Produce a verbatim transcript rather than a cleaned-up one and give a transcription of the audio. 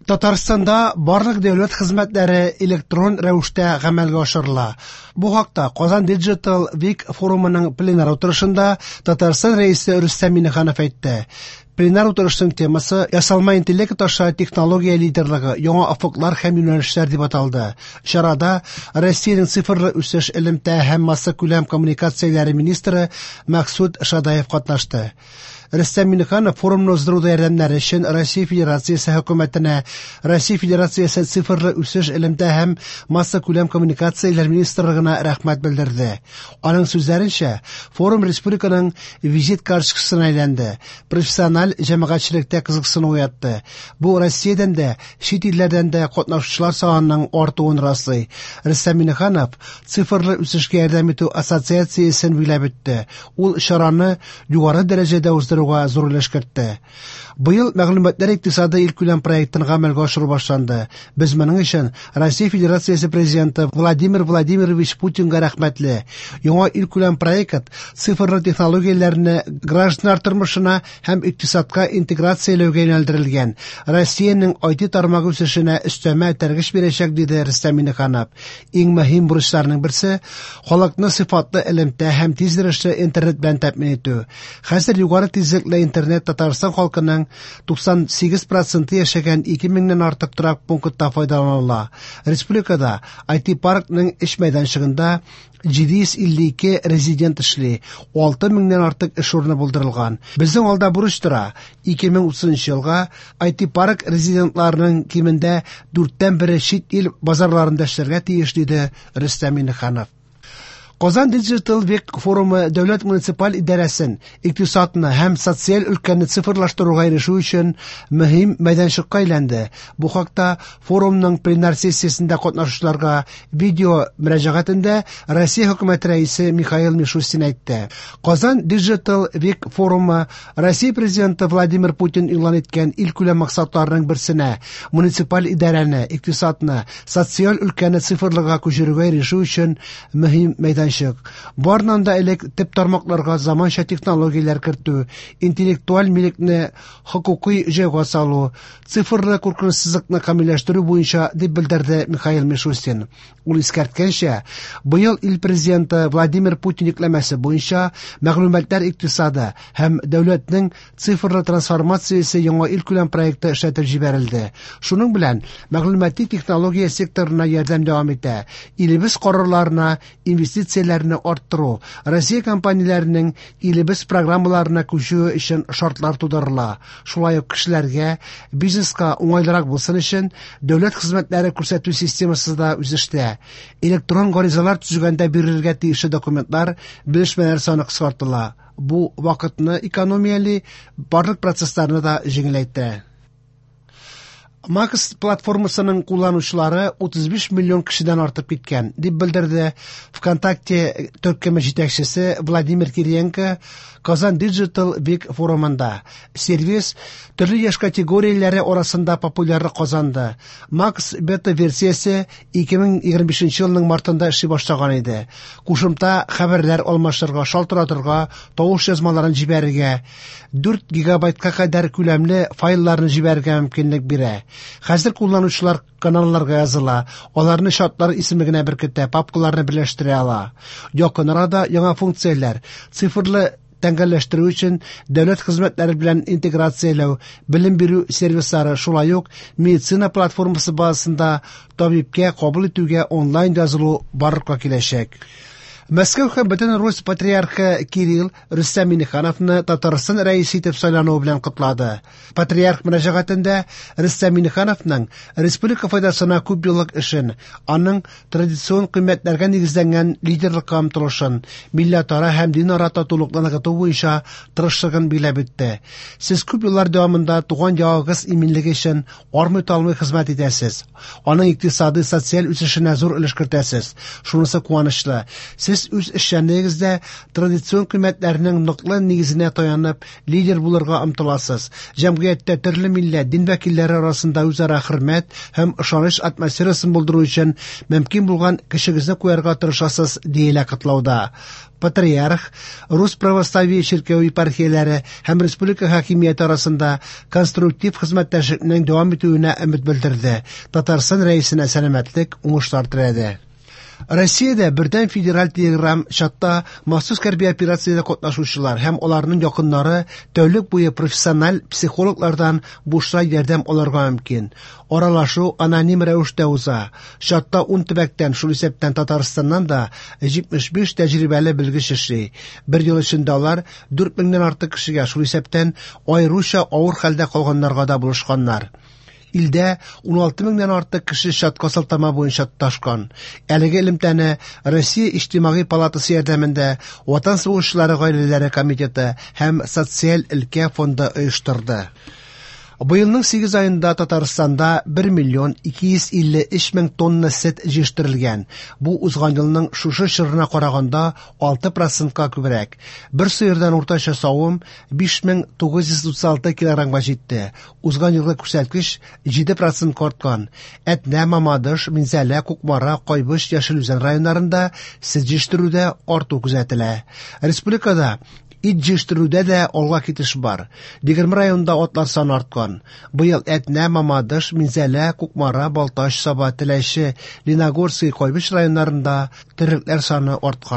Татарстанда барлык дәүләт хезмәтләре электрон рәвештә гамәлгә ашырыла. Бу хакта Казан Digital Week форумының пленар утырышында Татарстан Рәисе Рөстәм Миңнеханов әйтте. Пленар утырышның темасы «Ясалма интеллект аша технология лидерлыгы, яңа офыклар һәм юнәлешләр» дип аталды. Чарада Россиянең цифрлы үсеш, элемтә һәм массакүләм коммуникацияләре министры Максут Шадаев катнашты. Рөстәм Миңнеханов форумны уздыруда ярдәмнәре өчен Россия Федерациясе хөкүмәтенә, Россия Федерациясе цифрлы үсеш, элемтә һәм массакүләм коммуникацияләр министрлыгына рәхмәт белдерде. Аның сүзләренчә, форум республиканың визит карточкасына әйләнде, профессиональ җәмәгатьчелектә кызыксыну уятты. Бу Россиядән дә, чит илләрдән дә катнашучылар санының артуын раслый. Рөстәм Миңнеханов цифрлы үсешкә ярдәм итү ассоциациясен биләп үтте. Ул чараны югары дәрәҗәдә уздыруга зур өлеш кертте. Быел мәгълүматлар икътисады илкүләм проектын гамәлгә ашыру башланды. Без моның өчен Россия Федерациясе президенты Владимир Владимирович Путинга рәхмәтле. Яңа илкүләм проект цифрлы технологияләрне гражданнар тормышына һәм икътисадка интеграцияләүгә юнәлдерелгән. Россиянең ай ти тармагы үсешенә өстәмә этәргеч бирәчәк, диде Рөстәм Миңнеханов. Иң мөһим бурычларның берсе халыкны сыйфатлы элемтә һәм тиз йөрешле интернет белән тәэмин итү. Хәзер югары тизлекле интернет Татарстан халкының туксан сигез проценты яшәгән ике меңнән артык торак пунктта файдаланыла. Республикада ай ти паркның эш мәйданчыгында җиде йөз илле ике резидент эшли, алты меңнән артык эш урыны булдырылган. Безнең алда бурыч тора. ике мең утызынчы елга ай ти парк резидентларының кимендә дүрттән бере чит ил базарларында эшләргә тиеш, диде Рөстәм Миңнеханов. Казан Digital Week форумы дәүләт муниципаль идарәсен, икътисадны һәм социаль өлкәне цифрлаштыруга ирешү өчен мөһим мәйданчыкка әйләнде. Бу хакта форумның пленар сессиясендә катнашучыларга видео мөрәҗәгатендә Россия хөкүмәте рәисе Михаил Мишустин әйтте. Казан Digital Week форумы Россия президенты Владимир Путин игълан иткән илкүләм максатларының берсенә муниципаль идарәне, икътисадны, социаль өлкәне цифрлыга күчерүгә ирешү өчен мөһим мәйданчык. Барыннан да элек төп тармакларга заманча технологияләр кертү, интеллектуаль милекне хокукый җайга салу, цифрлы куркынычсызлыкны камилләштерү буенча, дип белдерде Михаил Мишустин. Ул искәрткәнчә, быел ил президенты Владимир Путин йөкләмәсе буенча мәгълүматлар икътисады һәм дәүләтнең цифрлы трансформациясе яңа илкүләм проекты эшләтеп җибәрелде. Шуның белән мәгълүмати технология секторына ярдәм дәвам итә. Илебез карарларына инвестицияләрне арттыру, Россия компанияләренең илебез программаларына күчүе өчен шартлар тудырыла. Шулай ук кешеләргә, бизнеска уңайлырак булсын өчен дәүләт хезмәтләре күрсәтү системасы да үсештә. Электрон гаризалар төзегәндә бирелергә тиешле документлар, белешмәләр саны кыскартыла. Бу вакытны экономияли, барлык процессларны да җиңеләйтә. Макс платформасының кулланучылары утыз биш миллион кешедән артып киткән, дип белдерде ВКонтакте төркеме җитәкчесе Владимир Кириенко Казан Digital Week форумында. Сервис төрле яшь категорияләре арасында популярлык казанды. Макс бета-версиясе ике мең егерме бишенче елның мартында эшли башлаган иде. Кушымта хәбәрләр алмашырга, шалтыратырга, тавыш язмаларын җибәрергә, дүрт гигабайтка кадәр күләмле файлларны җибәрергә мөмкинлек бирә. Хәзер кулланучылар каналларга языла, аларны чатлар исемлегенә беркетә, папкаларны берләштерә ала. Якын арада яңа функцияләр, цифрлы тәңгәлләштерү өчен дәүләт хезмәтләре белән интеграцияләү, белем бирү сервислары, шулай ук медицина платформасы базасында табибкә кабул итүгә онлайн язылу барлыкка киләчәк. Мәскәү һәм бөтен Русь патриархы Кирилл Рөстәм Миңнехановны Татарстан рәисе итеп сайлануы белән котлады. Патриарх мөрәҗәгатендә Рөстәм Миңнехановның республика файдасына күп еллык эшен, аның традицион кыйммәтләргә нигезләнгән лидерлыкка омтылышын, милләтара һәм динара татулыкны ныгыту буенча тырышлыгын биләп үтте. Сез күп еллар дәвамында туган ягыгыз иминлеге өчен армый-талмый хезмәт итәсез. Аның икътисади, социаль үсешенә зур өлеш кертәсез. Шунысы куанычлы. Сез Сез үз эшчәнлегегездә традицион кыйммәтләрнең ныклы нигезенә таянып, лидер булырга омтыласыз. Җәмгыятьтә төрле милләт, дин вәкилләре арасында үзара хөрмәт һәм ышаныч атмосферасын булдыру өчен мөмкин булган көчегезне куярга тырышасыз, диелә котлауда. Патриарх Рус православие чиркәве епархияләре һәм республика хакимияте арасында конструктив хезмәттәшлекнең дәвам итүенә өмет белдерде. Татарстан Рәисенә сәламәтлек, уңышлар теләде. Россиядә бердәм федераль телеграм чатта махсус хәрби операциядә катнашучылар һәм аларның якыннары тәүлек буе профессиональ психологлардан бушлай ярдәм алырга мөмкин. Аралашу аноним рәвештә уза. Чатта ун төбәктән, шул исәптән Татарстаннан да җитмеш биш тәҗрибәле белгеч эшли. Бер ел эчендә алар дүрт меңнән артык кешегә, шул исәптән аеруча авыр хәлдә калганнарга да булышканнар. Илдә ун алты меңнән артык кеше чатка сылтама буенча тоташкан. Әлеге элемтәне Россия Иҗтимагый палатасы ярдәмендә Ватан сугышчылары гаиләләре комитеты һәм Социаль өлкә фонды оештырды. Быелның сигез аенда Татарстанда бер миллион ике йөз илле өч мең тонна сөт җитештерелгән. Бу узган елның шушы чорына караганда алты процентка күбрәк. Бер сыердан уртача савым биш мең тугыз йөз утыз алты килограммга җитте. Узган елгы күрсәткеч җиде процентка арткан. Әтнә, Мамадыш, Минзәлә, Кукмара, Кайбыч, Яшел Үзән районнарында сөт җитештерүдә арту күзәтелә. Республикада ит җитештерүдә дә алга китеш бар. Егерме районда атлар саны арткан. Быел Әтнә, Мамадыш, Минзәлә, Кукмара, Балтач, Саба, Теләче, Лениногорский, Кайбыч районнарында терлекләр саны арткан.